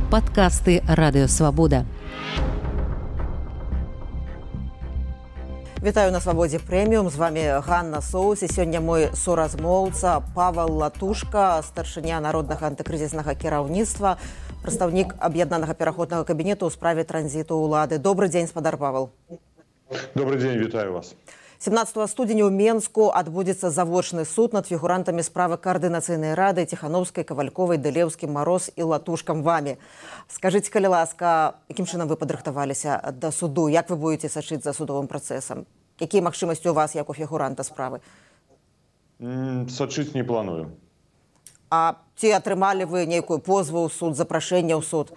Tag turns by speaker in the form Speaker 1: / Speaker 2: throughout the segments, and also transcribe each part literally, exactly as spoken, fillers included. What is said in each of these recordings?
Speaker 1: Падкасты Радыёвабода.
Speaker 2: Вітаю на Свабодзе Прэміум. З вами Ганна Соус. І сёння мой суразмоўца Павел Латушка, старшыня Народнага антыкрызіснага кіраўніцтва, прадстаўнік аб'яднанага пераходнага кабінету ў справе транзіту ўлады. Добры дзень, спадар Павел.
Speaker 3: Добрый день, вітаю вас.
Speaker 2: семнадцатого студзеня ў Менску адбудзецца завочны суд над фігурантамі справы Каардынацыйнай рады Ціхановскай, Кавальковай, Дылеўскім, Мароз і Латушкам вамі. Скажыце, калі ласка, якім чынам вы падрыхтаваліся да суду? Як вы будете сачыць за судовым працэсам? Якія магчымасці у вас, як у фігуранта справы?
Speaker 3: Сачыць не планую.
Speaker 2: А ці атрымалі вы нейкую позву ў суд, запрашэнне ў суд?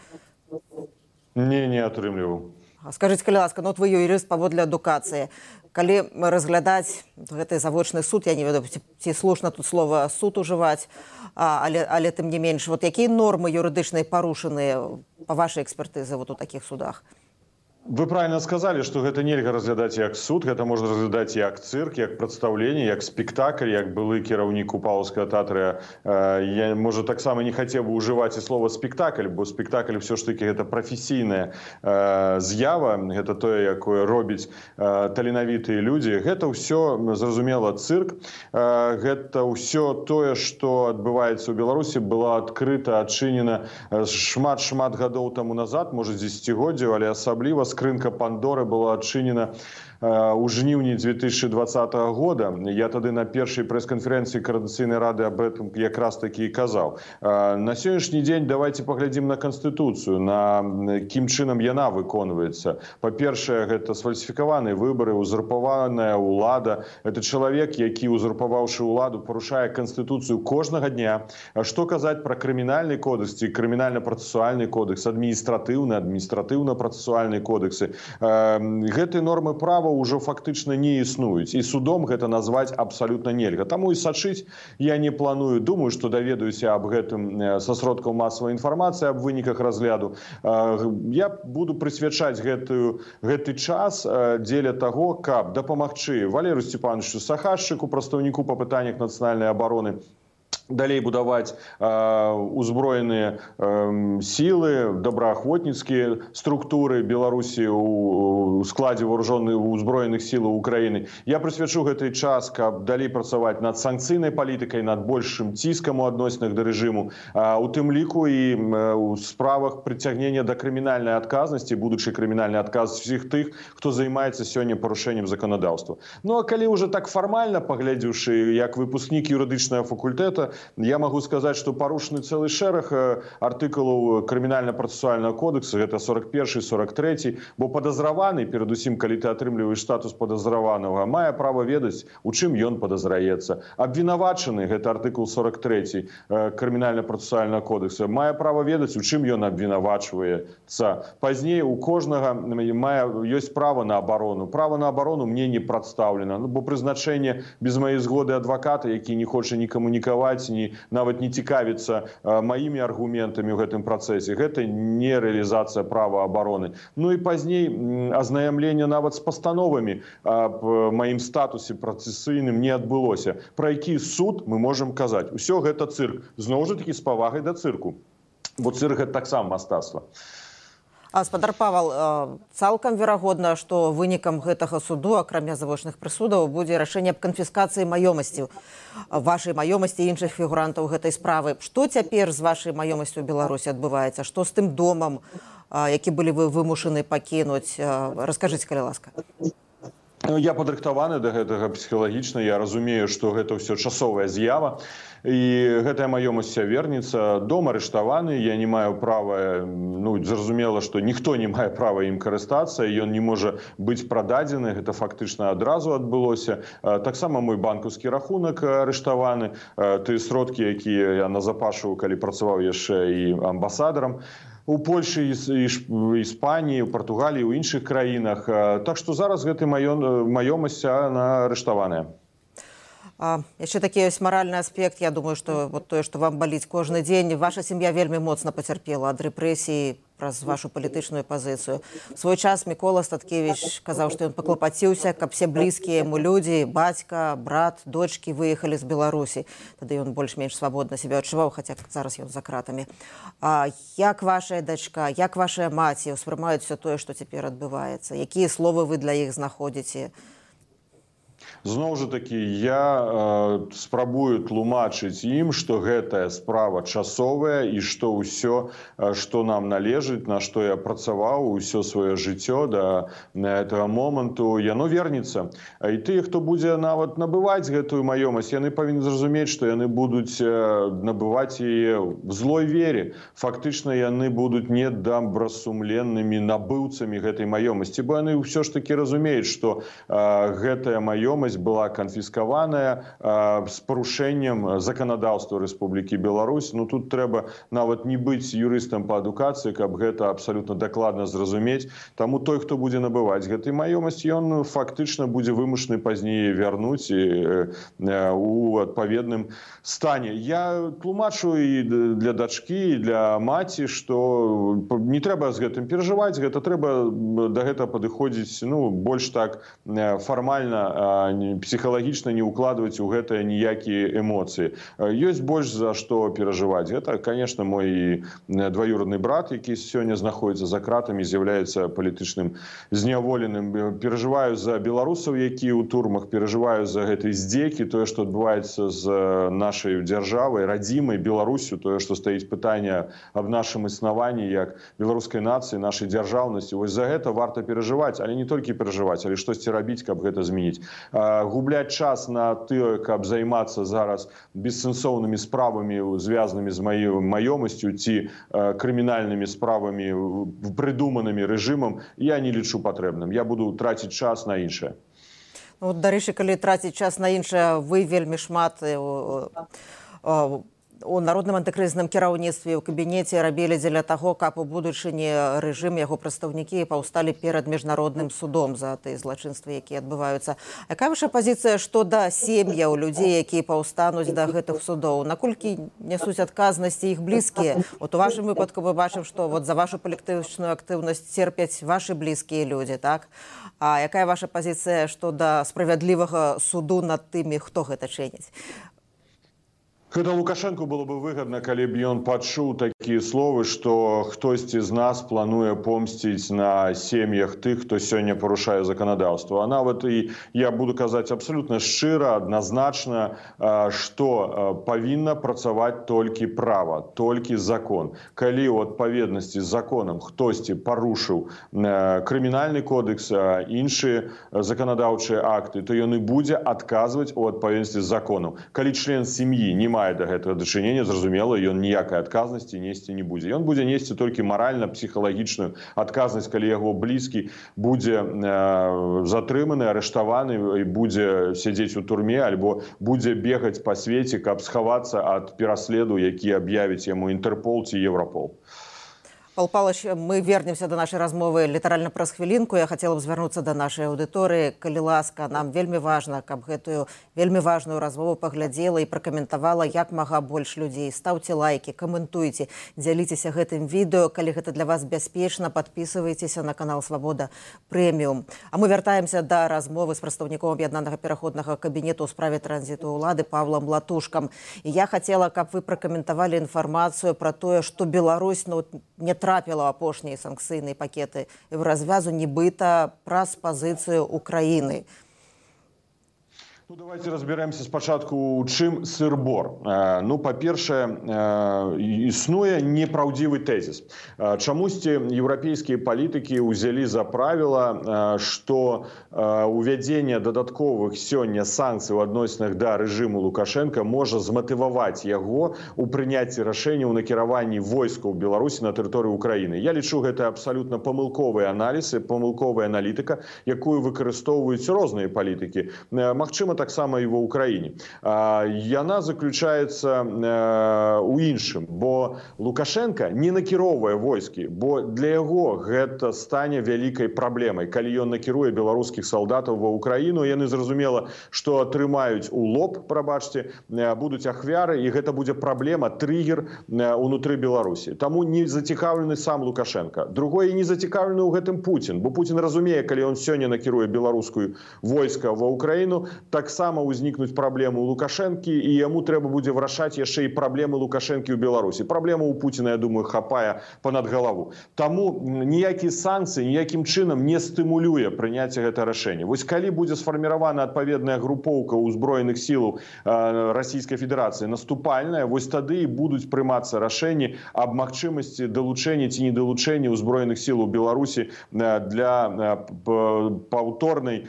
Speaker 3: Не, не атрымліваў.
Speaker 2: Скажыце, калі ласка, ну от вы юрыст паводле адукацыі. Калі разглядаць гэты завочны суд, я не ведаю, ці слушна тут слова суд ужываць, але, але тым не менш, вот якія нормы юрыдычныя парушаныя па вашай экспертызе вот у такіх судах?
Speaker 3: Вы правильно сказали, что гэта нельга разглядаць як суд, гэта можна разглядаць як цирк, як прадстаўленне, як спектакль, як былы кіраўнік Купалаўскага тэатра. Я, можа, таксама не хацеў бы ўжываць і слова спектакль, бо спектакль все ж таки гэта прафесійная з'ява, гэта тое, якое робіць таленавітыя людзі. Гэта ўсё, зразумела, цирк. Гэта ўсё тое, што адбываецца ў Беларусі, была адкрыта, адчынена шмат-шмат гадоў таму назад, можа, дзесяцігоддзяў, але асабліва скрынка Пандоры была адчынена у жніўні две тысячи двадцатого года. Я тады на першай прэс-канферэнцыі Коордынацыйнай рады об этом якраз таки і казаў. На сённяшні дзень давайте паглядзім на Канстытуцыю, на кім чынам яна выконваецца. Па-першае, гэта сфальсіфікаваныя выбары, узурпаваная ўлада. Это чалавек, які, узурпаваўшы ўладу, парушае Канстытуцыю кожнага дня. Што казаць пра крымінальны кодекс ці крымінальна-працэсуальны кодекс, адміністратыўны, адміністратыўна-працэсуальны кодексы. Гэтыя нормы права ўжо фактычна не існуюць. І судом гэта назваць абсалютна нельга. Таму і сачыць я не планую. Думаю, што даведаюся аб гэтым са сродкаў масавай інфармацыі, аб выніках разгляду. Я буду прысвячаць гэтую, гэты час дзеля таго, каб дапамагчы Валерыю Сцепановичу Сахашчыку, прадстаўніку па пытаннях нацыянальнай абароны, далей будаваць э, узброеныя э, сілы, добраахвотніцкія структуры Беларусі у, у складзе вооружённых узброеных сілаў Украіны. Я прысвячу гэты час, каб далей працаваць над санкцыйнай палітыкай, над большым ціскам у адносінах да рэжыму, а, у тым ліку і э, у справах прыцягнення да крымінальнай адказнасці, будучай крымінальнай адказнасці всіх тых, хто займаецца сёння парушэннем заканадаўства. Ну а калі ўжо так фармальна паглядзеўшы, як выпускнік юрыдычнага факультэта, я могу сказать, что порушены целый шэраг артыкулаў крымінальна-працэсуальнага кодекса, гэта сорок першы, сорок трэці, бо падазраваны, перадусім, калі ты атрымліваеш статус падазраванага, мае права ведаць, у чым ён падазраецца. Абвінавачаны, гэта артыкул сорок трэці крымінальна-працэсуальнага кодекса, мае права ведаць, у чым ён абвінавачваецца. Пазней у кожнага мае, ёсць права на абарону. Права на абарону мне не прадстаўлена, ну, бо прызначэнне без маёй згоды адваката, які не хоча ні камунікаваць, ні, нават не цікавіцца а, маімі аргументамі ў гэтым працэсе. Гэта не рэалізацыя права абароны. Ну і пазней азнаямленне нават з пастановамі аб маім статусе працэсійным не адбылося. Пра які суд мы можам казаць? Усё гэта цырк. Зноў жа такі з павагай да цырку. Бо цырк гэта таксама мастацтва.
Speaker 2: Спадар Павел, цалкам верагодна, што вынікам гэтага суду, акрамя завочных прысудаў, будзе рашэнне аб канфіскацыі маёмасці, вашай маёмасці і іншых фігурантаў гэтай справы. Што цяпер з вашай маёмасцю ў Беларусі адбываецца? Што з тым домам, які былі вы вымушаны пакінуць? Раскажыце, калі ласка.
Speaker 3: Я падрыхтаваны да гэтага псіхалагічна. Я разумею, што гэта ўсё часовая з'ява. І гэтая маёмасць вернецца. Дом арыштаваны, я не маю права, ну, зразумела, што ніхто не мае права ім карыстацца, ён не можа быць прададзены, гэта фактычна адразу адбылося. Таксама мой банкаўскі рахунак арыштаваны, тыя сродкі, якія я назапашваў, калі працаваў яшчэ і амбасадарам у Польшы, Іспаніі, у Партугаліі, у іншых краінах. Так што зараз гэта маёмасць арыштаваная.
Speaker 2: Яшчэ такі ёсць маральны аспект. Я думаю, што вот тое, што вам баліць кожны дзень, ваша сям'я вельмі моцна пацярпела ад рэпрэсіі праз вашу палітычную пазіцыю. У свой час Мікола Статкевіч казаў, што ён паклапаціўся, каб все блізкія яму людзі, бацька, брат, дочкі выехалі з Беларусі. Тады ён больш-менш свабодна сябе адчуваў, хаця зараз ён за кратамі. А як вашая дачка, як вашая маці ўспрымаюць все тое, што цяпер адбываецца? Якія словы вы для іх знаходзіце?
Speaker 3: Зноў жа такі, я э, спрабую тлумачыць ім, што гэтая справа часовая і што ўсё, што нам належыць, на што я працаваў усё сваё жыццё да гэтага моманту, яно вернецца. І тыя, хто будзе нават набываць гэтую маёмасць, яны павінны зразумець, што яны будуць набываць яе в злой вере. Фактычна яны будуць недобрасумленнымі набыўцамі гэтай маёмасці, бо яны ўсё ж такі разумеюць, што э, гэтая маёмасць была канфіскаваная э, з парушэннем заканадаўства Рэспублікі Беларусь. Ну тут трэба нават не быць юрыстам па адукацыі, каб гэта абсалютна дакладна зразумець. Таму той, хто будзе набываць гэтай маёмасць, ён фактычна будзе вымушаны пазней вярнуць і, э, у адпаведным стане. Я тлумачу і для дачкі, і для маці, што не трэба з гэтым перажываць, гэта трэба да гэтага падыходзіць, ну, больш так фармальна, псіхалагічна не ўкладваць у гэта ніякія эмоцыі. Ёсць больш за што перажываць. Гэта, конечно, мой двоюродны брат, які сёння знаходзіцца за кратамі, з'яўляецца палітычным зняволеным. Перажываю за беларусаў, якія ў турмах, перажываю за гэтай здзекі, тое, што адбываецца з нашай дзяржавай, радзімай Беларусю, тое, што стаіць пытанне аб нашым існаванні як беларускай нацыі, нашай дзяржаўнасці. Вось за гэта варта перажываць, але не толькі перажываць, але штосьці рабіць, каб гэта змяніць. Губляць час на тое, каб займацца зараз бессэнсоўнымі справамі, звязанымі з маёй маёмасцю ці крымінальнымі справамі, прыдуманымі рэжымам, я не лічу патрэбным. Я буду траціць час на іншае.
Speaker 2: Ну, дарэчы, калі траціць час на іншае, вы вельмі шмат у народным антыкрызісным кіраўніцтве, ў кабінеце рабілі дзеля таго, каб у будучыні рэжым, яго прадстаўнікі паўсталі перад міжнародным судом за тыя злачынствы, якія адбываюцца. Якая ваша пазіцыя што да сем'яў людзей, якія паўстануць да гэтых судоў? Наколькі нясуць адказнасці іх блізкія? От у вашым выпадку мы бачым, што вот за вашу палітычную актыўнасць церпяць вашы блізкія людзі, так? А якая ваша пазіцыя што да справядлівага суду над тымі, хто гэта чыніць?
Speaker 3: Гэта Лукашенку было бы выгодна, калі б ён пачуў такія словы, што хтосьці з нас плануе помсціць на сем'ях тых, хто сёння парушае заканадаўства. А нават і я буду казаць абсалютна шчыра, адназначна, што павінна працаваць толькі права, толькі закон. Калі ў адпаведнасці з законам хтосьці парушыў крымінальны кодекс, іншыя заканадаўчыя акты, то ён і будзе адказваць у адпаведнасці з законам. Калі член сям'і не мае да гэтага дачынення, зразумела, ён ніякай адказнасці несці не будзе. Ён будзе несці толькі маральна-псіхалагічную адказнасць, калі яго блізкі будзе э, затрыманы, арыштаваны і будзе сядзець у турме, альбо будзе бегаць па свеце, каб схавацца ад пераследу, які аб'явіць яму Інтэрпол ці Еўрапол.
Speaker 2: Павел Павлович, мы вернемся до нашей размовы літаральна праз хвілінку. Я хотела б звярнуцца до нашай аўдыторыі. Калі ласка, нам вельмі важна, каб гэтую вельмі важную размову паглядзела і пракаментавала як мага больш людзей. Стаўце лайки, каментуйце, дзяліцеся гэтым відэо. Калі гэта для вас бяспечна, падпісывайцеся на канал Свабода Прэміум. А мы вяртаемся да размовы з прадстаўніком аб'яднанага пераходнага кабінету ў справе транзіту ўлады Павлам Латушкам. І я хотела, каб вы пракаментавалі інфармацыю пра тое, што Беларусь ну, не трапіла ў апошнія санкцыйныя пакеты развязу нібыта праз пазіцыю Украіны.
Speaker 3: Ну, давайте разберемся спачатку, у чым сыр-бор. Ну, па-першае, існуе непраўдзівы тэзіс. Чамусьці еўрапейскія палітыкі ўзялі за правіла, што увядзенне дадатковых сёння санкцый у адносінах да рэжыму Лукашенка можа зматываваць яго у прыняцці рашэння ў накіраванні войскаў Беларусі на тэрыторыю Украіны. Я лічу, гэта абсалютна памылковы аналіз і памылковая аналітыка, якую выкарыстоўваюць розныя палітыкі. Магчыма, таксама і ва ўкраіне. Яна заключаецца у іншым, бо Лукашенко не накіроўвае войскі, бо для яго гэта стане вялікай праблемай. Калі ён накіруе беларускіх салдатаў ва ўкраіну, яны зразумела, што атрымаюць у лоб, прабачце, будуць ахвяры, і гэта будзе праблема, триггер унутры Беларусі. Таму не зацікаўлены сам Лукашенко. Другое, не зацікаўлены ў гэтым Путін, бо Путін разумее, калі ён сёння накіруе беларускую войска ва ўкраіну, таксама ўзнікнуць праблемы ў Лукашэнкі, і яму трэба будзе вырашаць яшчэ і праблемы Лукашэнкі ў Беларусі. Праблема ў Пуціна, я думаю, хапае понад галаву. Таму ніякія санкцыі ніякім чынам не стымулюе прыняцце гэта рашэння. Вось калі будзе сфарміравана адпаведная групоўка ўзброеных сілаў Расійскай Федэрацыі наступальная, вось тады і будуць прымацца рашэнні аб магчымасці далучэння ці недалучэння ўзброеных сілаў Беларусі для паўторнай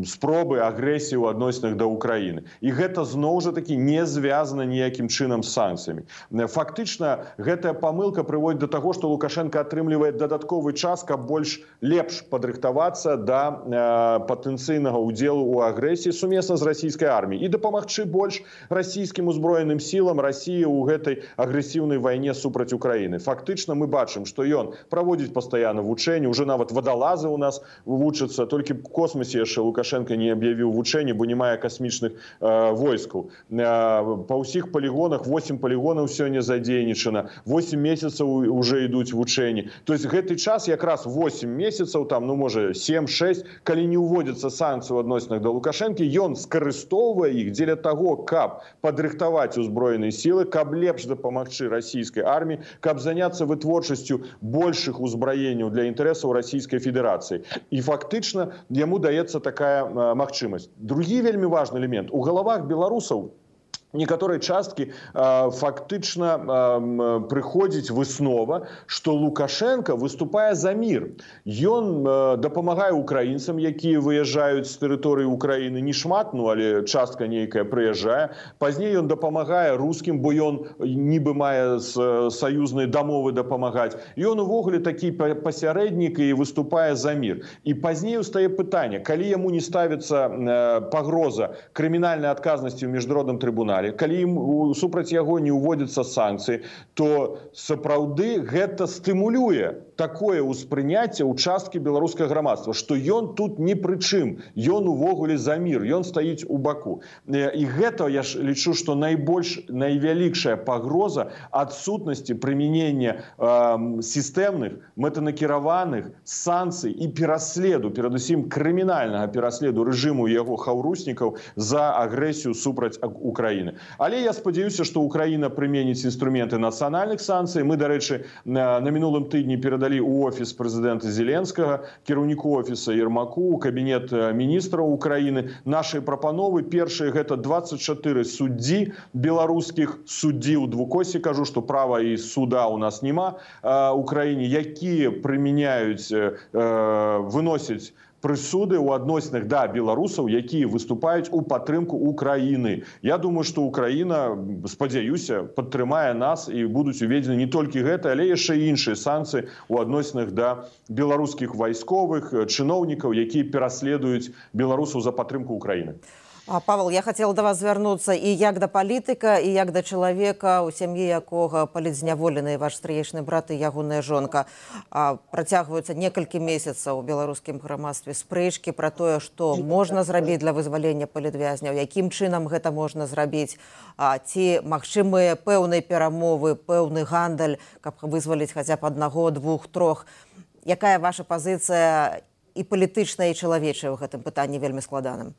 Speaker 3: спробы агрэсіі ў адносінах да Ўкраіны. І гэта зноў жа такі не звязана ніякім чынам з санкцыямі. Фактычна гэтая памылка прыводзіць да таго, што Лукашенко атрымлівае дадатковы час, каб больш лепш падрыхтавацца да патэнцыйнага ўдзелу ў агрэсіі сумесна з расійскай арміяй і дапамагчы больш расійскім узброеным сілам Расіі ў гэтай агрэсіўнай вайне супраць Украіны. Фактычна мы бачым, што ён праводзіць пастаянна вучэнні, уже нават вадалазы ў нас вучацца, толькі в космосе яшчэ Лукашенко не аб'явіў вучэнні, бо не мае касмічных э, войскаў. Э, па ўсіх палігонах восемь палігонаў сёння задзейнічана, восемь месяцаў уже ідуць вучэнні. То есть гэты час якраз восемь месяцаў, там, ну можа семь-шесть, калі не ўводзяцца санкцыі ў адносінах да Лукашэнкі, ён скарыстоўвае іх дзеля таго, каб падрыхтаваць узброеныя сілы, каб лепш дапамагчы расійскай арміі, каб заняцца вытворчасцю большых узбраенняў для інтарэсаў Расійскай Федэрацыі. І фактычна яму даецца такая э, магчымасць. Другі вельмі важны элемент. У галавах беларусаў некаторыя часткі э, фактычна э, прыходзіць выснова, што Лукашенко выступае за мір. Ён э, дапамагае украінцам, якія выязджаюць з тэрыторыі Украіны, не шмат, ну, але частка нейкая прыязджае. Пазней ён дапамагае рускім, бо ён нібы мае з саюзнай дамовы дапамагаць. Ён увогуле такі пасярэднік і выступае за мір. І пазней устае пытанне, калі яму не ставіцца э, пагроза крымінальнай адказнасці ў міжнародным трыбунале, калі супраць яго не ўводзяцца санкцыі, то сапраўды гэта стымулюе такое ўспрыняцце ў часткі беларускага грамадства, што ён тут ні пры чым, ён увогуле за мір, ён стаіць у баку. І гэта, я ж лічу, што найбольш, найвялікшая пагроза адсутнасці прымянення э, сістэмных, мэтанакіраваных санкцый і пераследу, перадусім крымінальнага пераследу рэжыму яго хаўруснікаў за агрэсію супраць Украіны. Але я спадзяюся, што Украіна прыменіць інструменты нацыянальных санкцый. Мы, дарэчы, на, на мінулым тыдні перадалі ў офіс прэзідэнта Зеленскага, кіраўніку офіса Ермаку, кабінет міністраў Украіны нашай прапановы. Першае, гэта двадцать чатыры суддзі беларускіх, суддзі ў двукосе, кажу, што права і суда ў нас няма ў краіне, якія прымяняюць, выносяць прысуды ў адносінах да беларусаў, якія выступаюць у падтрымку Украіны. Я думаю, што Украіна, спадзяюся, падтрымае нас і будуць уведзены не толькі гэта, але яшчэ і іншыя санкцыі ў адносінах да беларускіх вайсковых, чыноўнікаў, якія пераследуюць беларусаў за падтрымку Украіны.
Speaker 2: Павел, я хотела до вас звярнуцца і як да палітыка, і як да чалавека, у сям'і якога палітзняволены ваш стрыечны брат і ягоная жонка. Працягваюцца некалькі месяцаў у беларускім грамадстве спрэчкі пра тое, што можна зрабіць для вызвалення палітвязняў, якім чынам гэта можна зрабіць, ці магчымыя пэўныя перамовы, пэўны гандаль, каб вызваліць хаця б аднаго, двух, трох. Якая ваша пазіцыя і палітычная, і чалавечая ў гэтым пытанні вельмі складаным?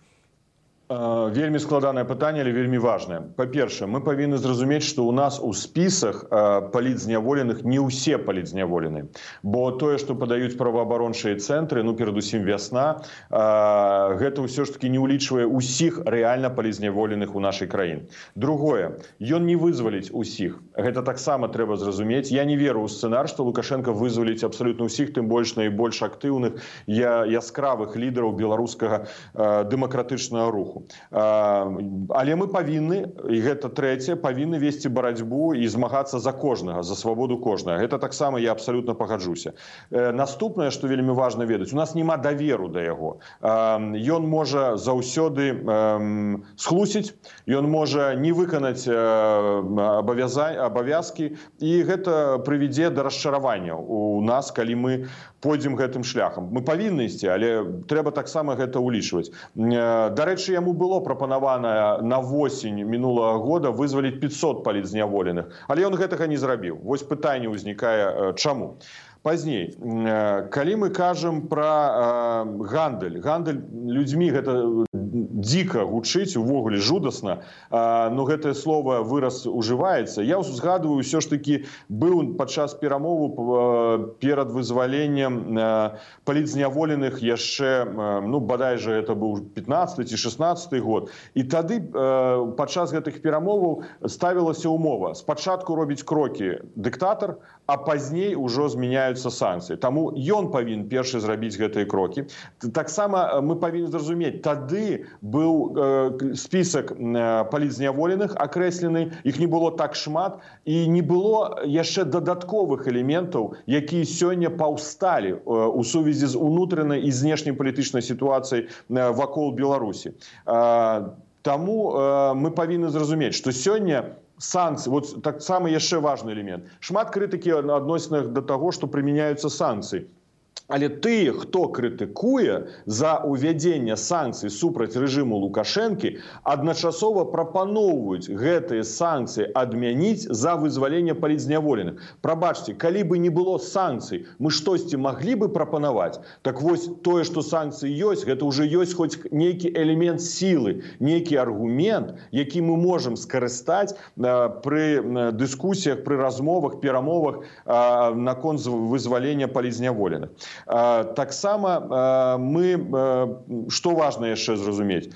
Speaker 3: Вельмі складанае пытанне, але вельмі важнае. Па-першае, мы павінны зразумець, што ў нас у спісах палітзняволеных не ўсе палітзняволеныя. Бо тое, што падаюць праваабарончыя цэнтры, ну, перадусім вясна, гэта ўсё ж такі не ўлічвае ўсіх рэальна палітзняволеных у нашай краіне. Другое, ён не вызваліць усіх. Гэта таксама трэба зразумець. Я не веру ў сцэнар, што Лукашенко вызваліць абсалютна ўсіх, тым больш найбольш актыўных я, яскравых лідараў беларускага э, дэмакратычнага руху. Э, але мы павінны, і гэта трэцяе, павінны весці барацьбу і змагацца за кожнага, за свабоду кожнага. Гэта таксама я абсалютна пагаджуся. Э, наступнае, што вельмі важна ведаць, у нас няма даверу да яго. Э, ён можа заўсёды э, схлусіць, ён можа не выканаць э, абавязкі, і гэта прывядзе да расчаравання у нас, калі мы пойдзем гэтым шляхам. Мы павінны ісці, але трэба таксама гэта ўлічваць. Дарэчы, яму было прапанавана на восень мінулага года вызваліць пятьсот палітзняволеных, але ён гэтага не зрабіў. Вось пытанне ўзнікае, чаму. Пазней, калі мы кажам пра гандаль, гандаль людзьмі, гэта дзіка гучыць, увогуле жудасна, но гэтае слово выраз ужываецца. Я узгадываю, ўсё ж такі быў падчас перамову перад вызваленнем палітзняволеных яшчэ, ну, бадай жа, гэта быў пятнаццаты ці шаснаццаты год. І тады падчас гэтых перамоваў ставілася умова. Спачатку робіць крокі дыктатар, а пазней ужо змяняюцца санкцыі. Таму ён павінен першы зрабіць гэтыя крокі. Таксама мы павінны зразумець, тады быў э, спісак э, палітзняволеных акрэслены, іх не было так шмат, і не было яшчэ дадатковых элементаў, якія сёння паўсталі э, у сувязі з унутранай і знешняй палітычнай сітуацыяй э, вакол Беларусі. Э, таму э, мы павінны зразумець, што сёння санкцыі, вот так само яшчэ важны элемент. Шмат крытыкі адносінах да таго, што прымяняюцца санкцыі. Але тыя, хто крытыкуе за увядзенне санкцый супраць рэжыму Лукашэнкі, адначасова прапаноўваюць гэтыя санкцыі адмяніць за вызваленне палітзняволеных. Прабачце, калі бы не было санкцый, мы штосьці маглі бы прапанаваць? Так вось тое, што санкцыі ёсць, гэта ўжо ёсць хоць нейкі элемент сілы, нейкі аргумент, які мы можам скарыстаць пры дыскусіях, пры размовах, перамовах наконт вызвалення палітзняволеных. Таксама мы, што важна яшчэ зразумець,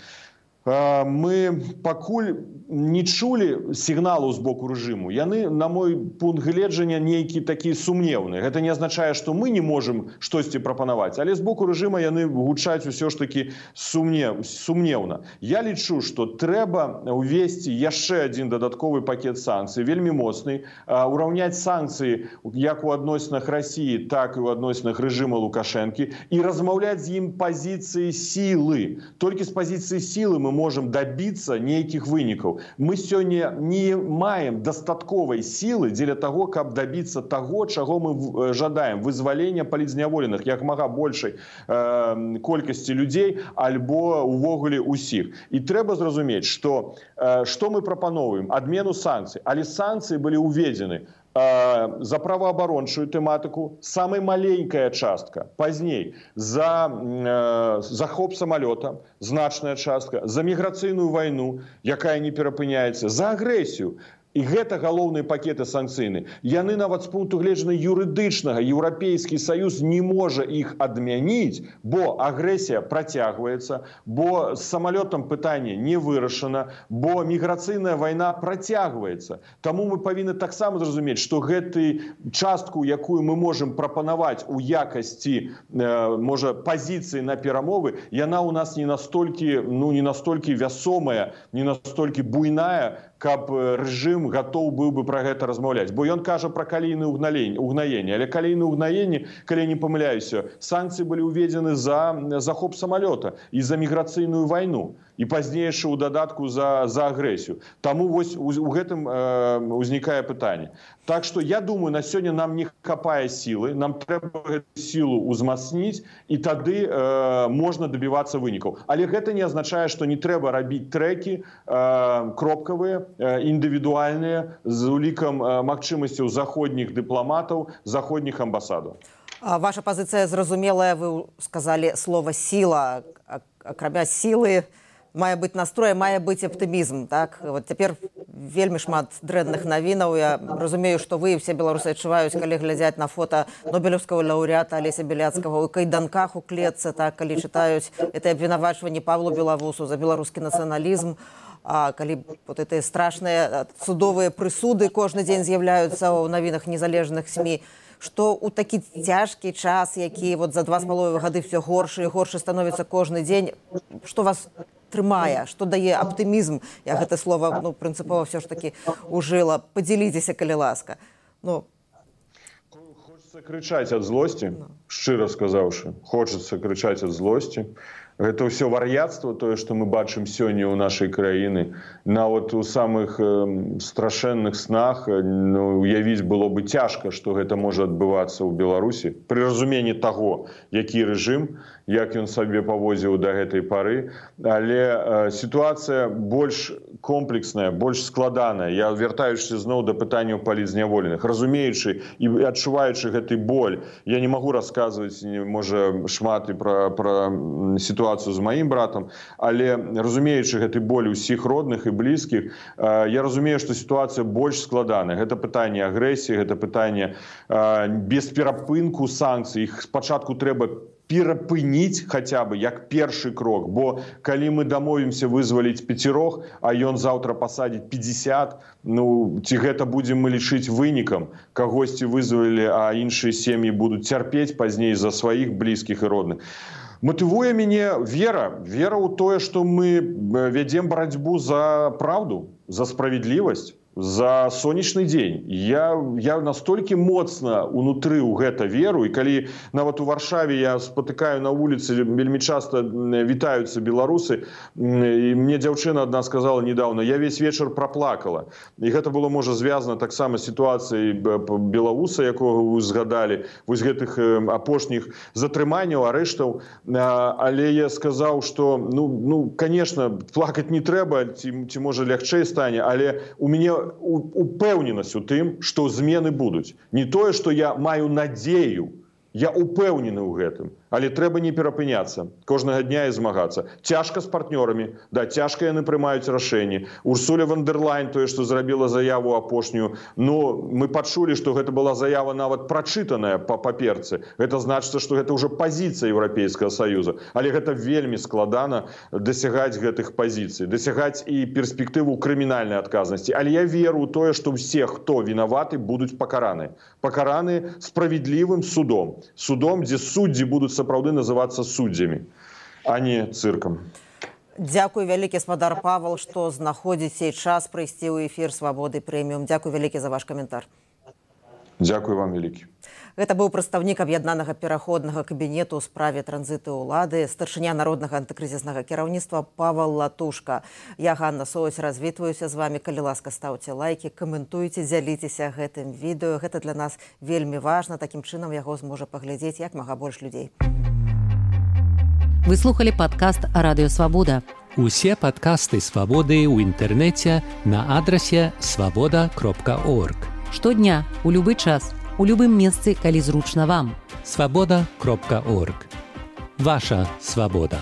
Speaker 3: мы пакуль не чулі сігналу з боку рэжыму. Яны, на мой пункт гледжання, нейкі такі сумнеўныя. Гэта не азначае, што мы не можам штосьці прапанаваць, але з боку рэжыма яны гучаць усё ж такі сумнеўна. Я лічу, што трэба ўвесці яшчэ адзін дадатковы пакет санкцый, вельмі моцны, ураўняць санкцыі як у адносінах Расіі, так і ў адносінах рэжыма Лукашэнкі, і размаўляць з ім пазіцыі сілы. Толькі з пазіцыі сілы мы можам дабіцца нейкіх вынікаў. Мы сёння не маем дастатковай сілы дзеля таго, каб дабіцца таго, чаго мы жадаем. Вызвалення палітзняволеных як мага большай э, колькасці людзей, альбо увогуле ўсіх. І трэба зразумець, што э, што мы прапаноўваем? Адмену санкцый. Але санкцыі былі ўведзены за праваабарончую тэматыку, самая маленькая частка, пазней за э, захоп самалёта, значная частка, за міграцыйную вайну, якая не перапыняецца, за агрэсію. І гэта галоўныя пакеты санкцыйны. Яны нават з пункту гледжання юрыдычнага, Еўрапейскі Саюз не можа іх адмяніць, бо агрэсія працягваецца, бо з самалётам пытанне не вырашана, бо міграцыйная вайна працягваецца. Таму мы павінны таксама зразумець, што гэтую частку, якую мы можам прапанаваць у якасці, э, можа, пазіцыі на перамовы, яна ў нас не настолькі, ну, не настолькі вясомая, не настолькі буйная, каб рэжым гатоў быў бы пра гэта размаўляць. Бо ён кажа пра калійнае угнаенне. Але калійнае угнаенне, калі я не памыляюся, санкцыі былі ўведзены за захоп самалёта і за міграцыйную вайну. І пазнейшы ў дадатку за, за агрэсію. Таму вось у, у гэтым э, узнікае пытанне. Так што я думаю, на сёння нам не хапае сілы, нам трэба гэту сілу ўзмацніць, і тады э, можна дабівацца вынікаў. Але гэта не азначае, што не трэба рабіць трэкі э, кропкавыя, э, індывідуальныя, з улікам э, магчымасцяў заходніх дыпламатаў, заходніх амбасадаў.
Speaker 2: Ваша пазіцыя зразумелая, вы сказалі слова «сіла». Акрамя сілы, мае быць настрой, мае быць аптымізм. Так? Вот цяпер вельмі шмат дрэнных навінаў. Я разумею, што вы і ўсе беларусы адчуваюць, калі глядзяць на фота нобелеўскага лаўрэата Алеся Беляцкага ў кайданках у клетцы, так, калі чытаюць это абвінавачванне Павлу Белавусу за беларускі нацыяналізм. а калі вот эти страшныя судовыя прысуды кожны дзень з'яўляюцца ў навінах незалежных СМІ, што ў такі цяжкі час, які вот за два з паловай гады все горш і горш становіцца кожны дзень, што вас трымае, што дае аптымізм? Я гэта слова ну, прынцыпова все ж таки ужыла. Падзяліцеся, калі ласка. Ну,
Speaker 3: хочется кричать от злости, шчыра сказаўшы. Хочется кричать от злости. Гэта ўсё вар'яцтва, тое, што мы бачым сёння ў нашай краіны. Нават у самых э, страшэнных снах ну, уявіць было бы цяжка, што гэта можа адбывацца ў Беларусі. Пры разуменні таго, які рэжым, як ён сабе паводзіў да гэтай пары. Але э, сітуацыя больш комплексная, больш складаная. Я вяртаючыся зноў да пытанняў палітзняволеных. Разумеючы і адчуваючы гэты боль, я не магу расказваць, можа, шмат і пра, пра сітуацыю з маім братам, але разумеючы гэты боль усіх родных і блізкіх, я разумею, што сітуацыя больш складаная. Гэта пытанне агрэсіі, гэта пытанне без перапынку санкцый. Іх спачатку трэба перапыніць хаця бы як першы крок, бо калі мы дамовімся вызваліць пяцірох, а ён заўтра пасадзіць пятьдесят, ну ці гэта будзем мы лічыць вынікам, кагосьці вызвалілі, а іншыя сем'і будуць цярпець пазней за сваіх блізкіх і родных. Матывуе мяне вера, вера ў тое, што мы вядзем барацьбу за праўду, за справядлівасць, за сонечны дзень. Я, я настолькі моцна унутры ў гэта веру, і калі нават у Варшаве я спатыкаю на вуліцы, вельмі часта вітаюцца беларусы, і мне дзяўчына адна сказала недавно, я весь вечар праплакала. І гэта было, можа, звязана таксама з сітуацыяй беларуса, якога вы згадалі, вось гэтых апошніх затрыманняў, арэштаў. Але я сказаў, што, ну, ну конечно, плакаць не трэба, ці, ці можа лягчэй стане, але у мяне упэўненасць у тым, што змены будуць. Не тое, што я маю надзею, я упэўнены ў гэтым. Але трэба не перапыняцца, кожнага дня і змагацца. Цяжка з партнёрамі, да, цяжка яны прымаюць рашэнні. Урсуля фон дер Ляйен, тое, што зрабіла заяву апошнюю, ну, мы пачулі, што гэта была заява нават прачытаная па паперцы. Гэта значыцца, што гэта ўжо пазіцыя Еўрапейскага Саюза. Але гэта вельмі складана дасягаць гэтых пазіцый, дасягаць і перспектыву крымінальнай адказнасці. Але я веру ў тое, што ўсе, хто вінаваты, будуць пакараны. Пакараны справядлівым судом. Судом, дзе суддзі будуць сапраўды называцца суддзямі, а не цыркам.
Speaker 2: Дзякуй вялікі, спадар Павал, што знаходзіце час прыйсці ў эфір Свабоды Прэміум. Дзякуй вялікі за ваш каментар.
Speaker 3: Дзякуй вам вялікі.
Speaker 2: Гэта быў прадстаўнік аб'яднанага пераходнага кабінету ў справе транзіту ўлады, старшыня народнага антыкрызіснага кіраўніцтва Павал Латушка. Я, Ганна Соусь, развітваюся з вами. Калі ласка, стаўце лайкі, каментуйце, дзяліцеся гэтым відэо. Гэта для нас вельмі важна. Такім чынам яго зможа паглядзець як мага больш людзей.
Speaker 1: Вы слухали падкаст «Радыё Свабода».
Speaker 4: Усе падкасты «Свабоды» ў інтэрнэце на адрасе свабода кропка орг.
Speaker 1: Штодня, у любы час, у любым месцы, калі зручна вам.
Speaker 4: свабода кропка орг. Ваша свабода.